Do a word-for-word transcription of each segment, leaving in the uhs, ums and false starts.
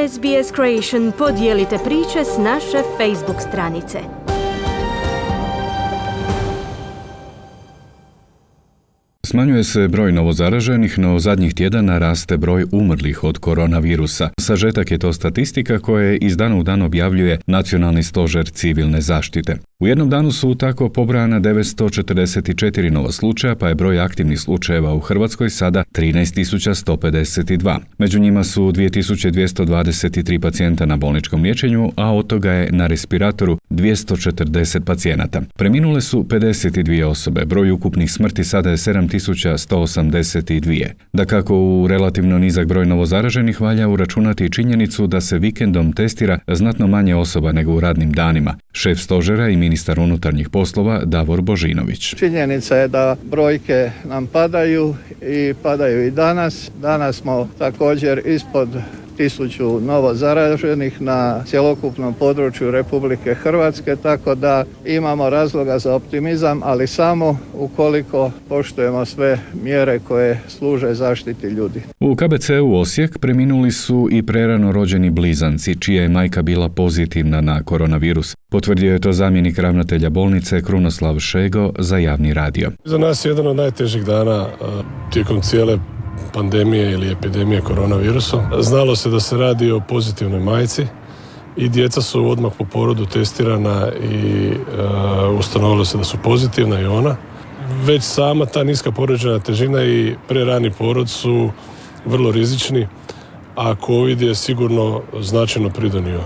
S B S Creation podijelite priče s naše Facebook stranice. Smanjuje se broj novozaraženih, no zadnjih tjedana raste broj umrlih od koronavirusa. Sažetak je to statistika koje iz dana u dan objavljuje Nacionalni stožer civilne zaštite. U jednom danu su tako pobrojana devetsto četrdeset četiri nova slučaja, pa je broj aktivnih slučajeva u Hrvatskoj sada trinaest tisuća sto pedeset dva. Među njima su dvije tisuće dvjesto dvadeset tri pacijenta na bolničkom liječenju, a od toga je na respiratoru dvjesto četrdeset pacijenata. Preminule su pedeset dvije osobe, broj ukupnih smrti sada je sedam tisuća sto osamdeset dva. Dakako, u relativno nizak broj novozaraženih valja uračunati i činjenicu da se vikendom testira znatno manje osoba nego u radnim danima. Šef stožera i ministar unutarnjih poslova Davor Božinović. Činjenica je da brojke nam padaju i padaju i danas. Danas smo također ispod tisuću novo zaraženih na cjelokupnom području Republike Hrvatske, tako da imamo razloga za optimizam, ali samo ukoliko poštujemo sve mjere koje služe zaštiti ljudi. U K B C-u Osijek preminuli su i prerano rođeni blizanci, čija je majka bila pozitivna na koronavirus. Potvrdio je to zamjenik ravnatelja bolnice Krunoslav Šego za javni radio. Za nas je jedan od najtežih dana tijekom cijele pandemije ili epidemije koronavirusom. Znalo se da se radi o pozitivnoj majci i djeca su odmah po porodu testirana i uh, ustanovilo se da su pozitivna i ona. Već sama ta niska porođajna težina i prerani porod su vrlo rizični, a COVID je sigurno značajno pridonio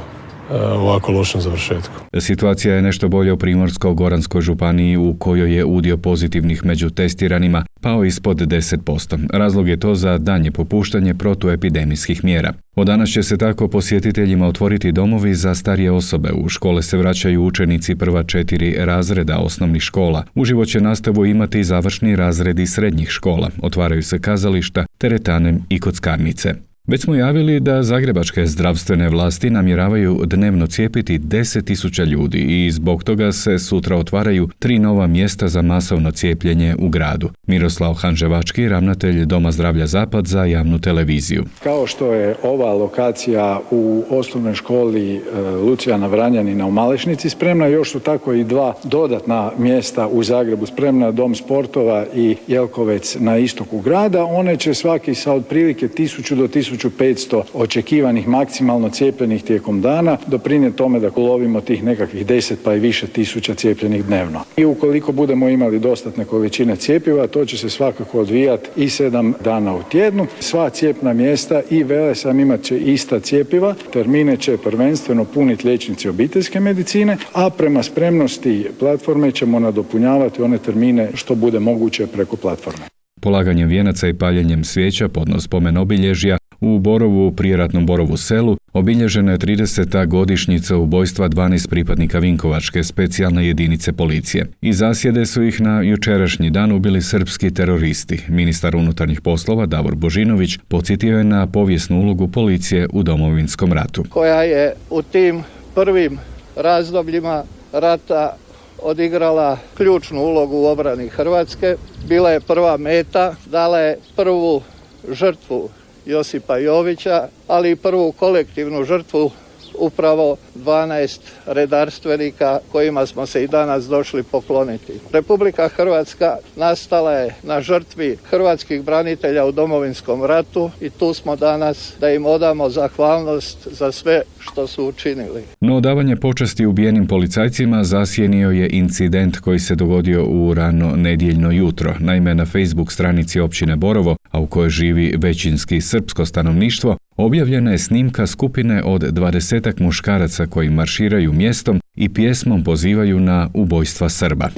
ovako lošem završetku. Situacija je nešto bolja u Primorsko-goranskoj županiji, u kojoj je udio pozitivnih među testiranima pao ispod deset posto. Razlog je to za daljnje popuštanje protuepidemijskih mjera. Od danas će se tako posjetiteljima otvoriti domovi za starije osobe. U škole se vraćaju učenici prva četiri razreda osnovnih škola. Uživo će nastavu imati završni razredi srednjih škola. Otvaraju se kazališta, teretane i kockarnice. Već smo javili da zagrebačke zdravstvene vlasti namjeravaju dnevno cijepiti deset tisuća ljudi i zbog toga se sutra otvaraju tri nova mjesta za masovno cijepljenje u gradu. Miroslav Hanževački, ravnatelj Doma zdravlja Zapad za javnu televiziju. Kao što je ova lokacija u osnovnoj školi Lucijana Vranjanina u Malešnici spremna, još su tako i dva dodatna mjesta u Zagrebu spremna, Dom sportova i Jelkovec na istoku grada. One će svaki sa otprilike tisuću do tisuću petsto očekivanih maksimalno cijepljenih tijekom dana doprinijeti tome da ulovimo tih nekakvih deset pa i više tisuća cijepljenih dnevno. I ukoliko budemo imali dostatne količine cjepiva, to će se svakako odvijati i sedam dana u tjednu. Sva cijepna mjesta i Velesam imat će ista cjepiva. Termine će prvenstveno puniti liječnici obiteljske medicine, a prema spremnosti platforme ćemo nadopunjavati one termine što bude moguće preko platforme. Polaganjem vijenaca i paljenjem svijeća podno spomen obilježja u Borovu, prijeratnom Borovu selu, obilježena je trideseta godišnjica ubojstva dvanaest pripadnika Vinkovačke specijalne jedinice policije. Iz zasjede su ih na jučerašnji dan ubili srpski teroristi. Ministar unutarnjih poslova Davor Božinović podsjetio je na povijesnu ulogu policije u Domovinskom ratu. Koja je u tim prvim razdobljima rata odigrala ključnu ulogu u obrani Hrvatske, bila je prva meta, dala je prvu žrtvu Josipa Jovića, ali i prvu kolektivnu žrtvu upravo dvanaest redarstvenika kojima smo se i danas došli pokloniti. Republika Hrvatska nastala je na žrtvi hrvatskih branitelja u Domovinskom ratu i tu smo danas da im odamo zahvalnost za sve što su učinili. No odavanje počasti ubijenim policajcima zasjenio je incident koji se dogodio u rano nedjeljno jutro. Naime, na Facebook stranici općine Borovo, a u kojoj živi većinski srpsko stanovništvo, objavljena je snimka skupine od dvadesetak muškaraca koji marširaju mjestom i pjesmom pozivaju na ubojstva Srba.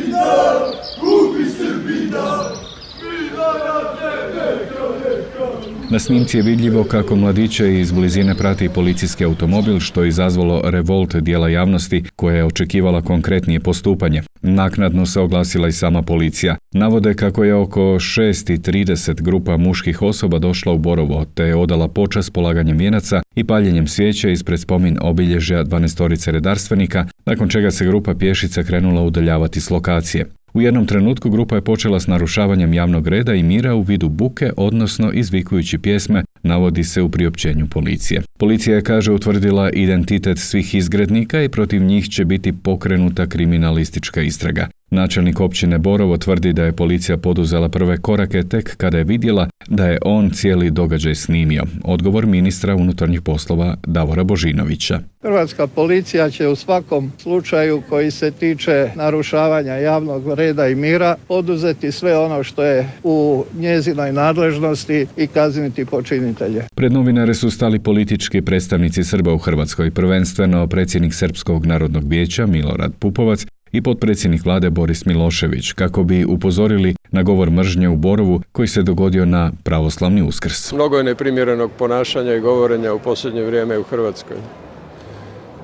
Na snimci je vidljivo kako mladiće iz blizine prati policijski automobil, što je izazvalo revolt dijela javnosti koja je očekivala konkretnije postupanje. Naknadno se oglasila i sama policija. Navode kako je oko šest i trideset grupa muških osoba došla u Borovo, te je odala počast polaganjem vijenaca i paljenjem svijeća ispred spomin obilježja dvanaestorice redarstvenika, nakon čega se grupa pješica krenula udaljavati s lokacije. U jednom trenutku grupa je počela s narušavanjem javnog reda i mira u vidu buke, odnosno izvikujući pjesme, navodi se u priopćenju policije. Policija je, kaže, utvrdila identitet svih izgrednika i protiv njih će biti pokrenuta kriminalistička istraga. Načelnik općine Borovo tvrdi da je policija poduzela prve korake tek kada je vidjela da je on cijeli događaj snimio. Odgovor ministra unutarnjih poslova Davora Božinovića. Hrvatska policija će u svakom slučaju koji se tiče narušavanja javnog reda i mira poduzeti sve ono što je u njezinoj nadležnosti i kazniti počinitelje. Pred novinare su stali politički predstavnici Srba u Hrvatskoj, prvenstveno predsjednik Srpskog narodnog vijeća Milorad Pupovac i potpredsjednik vlade Boris Milošević, kako bi upozorili na govor mržnje u Borovu koji se dogodio na pravoslavni Uskrs. Mnogo je neprimjerenog ponašanja i govorenja u posljednje vrijeme u Hrvatskoj.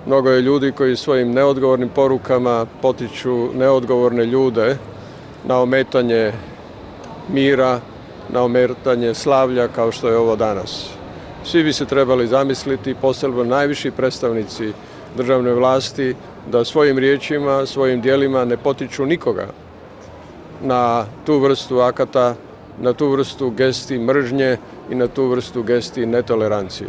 Mnogo je ljudi koji svojim neodgovornim porukama potiču neodgovorne ljude na ometanje mira, na ometanje slavlja kao što je ovo danas. Svi bi se trebali zamisliti, posebno najviši predstavnici državne vlasti, da svojim riječima, svojim djelima ne potiču nikoga na tu vrstu akata, na tu vrstu gesti mržnje i na tu vrstu gesti netolerancije.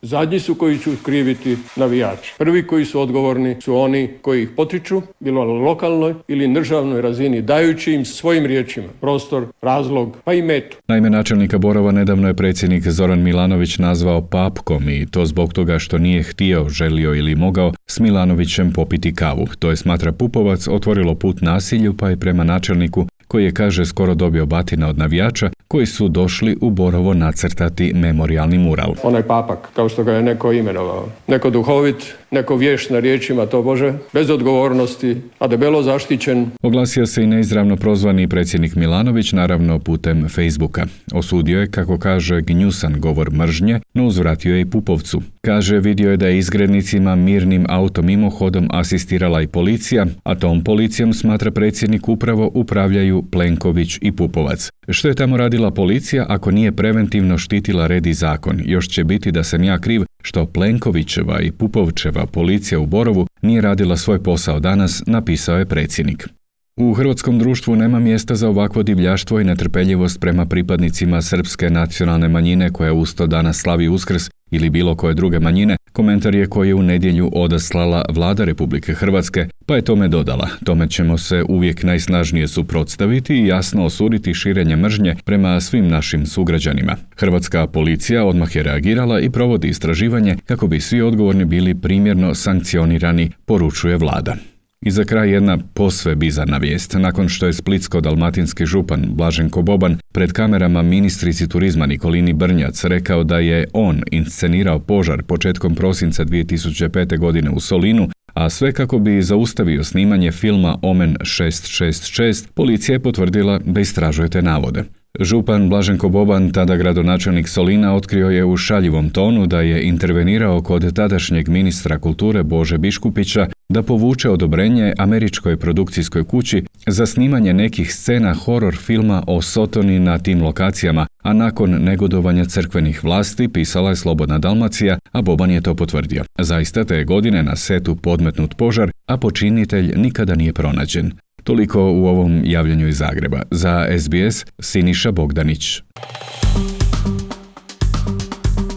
Zadnji su koji će kriviti navijači. Prvi koji su odgovorni su oni koji ih potiču, bilo na lokalnoj ili državnoj razini, dajući im svojim riječima prostor, razlog, pa i metu. Naime, načelnika Borova nedavno je predsjednik Zoran Milanović nazvao papkom i to zbog toga što nije htio, želio ili mogao s Milanovićem popiti kavu. To je, smatra Pupovac, otvorilo put nasilju, pa i prema načelniku koji je, kaže, skoro dobio batina od navijača koji su došli u Borovo nacrtati memorijalni mural. Onaj papak, kao što ga je neko imenovao. Neko duhovit, neko vješt na riječima tobože, bez odgovornosti, a debelo zaštićen. Oglasio se i neizravno prozvani predsjednik Milanović, naravno putem Facebooka. Osudio je, kako kaže, gnjusan govor mržnje, no uzvratio je i Pupovcu. Kaže, vidio je da je izgrednicima mirnim autom mimohodom asistirala i policija, a tom policijom, smatra predsjednik, upravo upravljaju Plenković i Pupovac. Što je tamo radila policija ako nije preventivno štitila red i zakon? Još će biti da sam ja kriv što Plenkovićeva i Pupovčeva policija u Borovu nije radila svoj posao danas, napisao je predsjednik. U hrvatskom društvu nema mjesta za ovakvo divljaštvo i netrpeljivost prema pripadnicima srpske nacionalne manjine koja usto danas slavi Uskrs ili bilo koje druge manjine, komentar je koji je u nedjelju odaslala vlada Republike Hrvatske, pa je tome dodala: tome ćemo se uvijek najsnažnije suprotstaviti i jasno osuditi širenje mržnje prema svim našim sugrađanima. Hrvatska policija odmah je reagirala i provodi istraživanje kako bi svi odgovorni bili primjerno sankcionirani, poručuje vlada. I za kraj jedna posve bizarna vijest. Nakon što je splitsko-dalmatinski župan Blaženko Boban pred kamerama ministrici turizma Nikolini Brnjac rekao da je on inscenirao požar početkom prosinca dvije tisuće pete. godine u Solinu, a sve kako bi zaustavio snimanje filma Omen šest šest šest, policija je potvrdila da istražuje te navode. Župan Blaženko Boban, tada gradonačelnik Solina, otkrio je u šaljivom tonu da je intervenirao kod tadašnjeg ministra kulture Bože Biškupića da povuče odobrenje američkoj produkcijskoj kući za snimanje nekih scena horor filma o Sotoni na tim lokacijama, a nakon negodovanja crkvenih vlasti, pisala je Slobodna Dalmacija, a Boban je to potvrdio. Zaista te je godine na setu podmetnut požar, a počinitelj nikada nije pronađen. Toliko u ovom javljanju iz Zagreba. Za S B S, Siniša Bogdanić.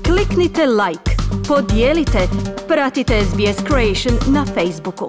Kliknite like, podijelite, pratite S B S Creation na Facebooku.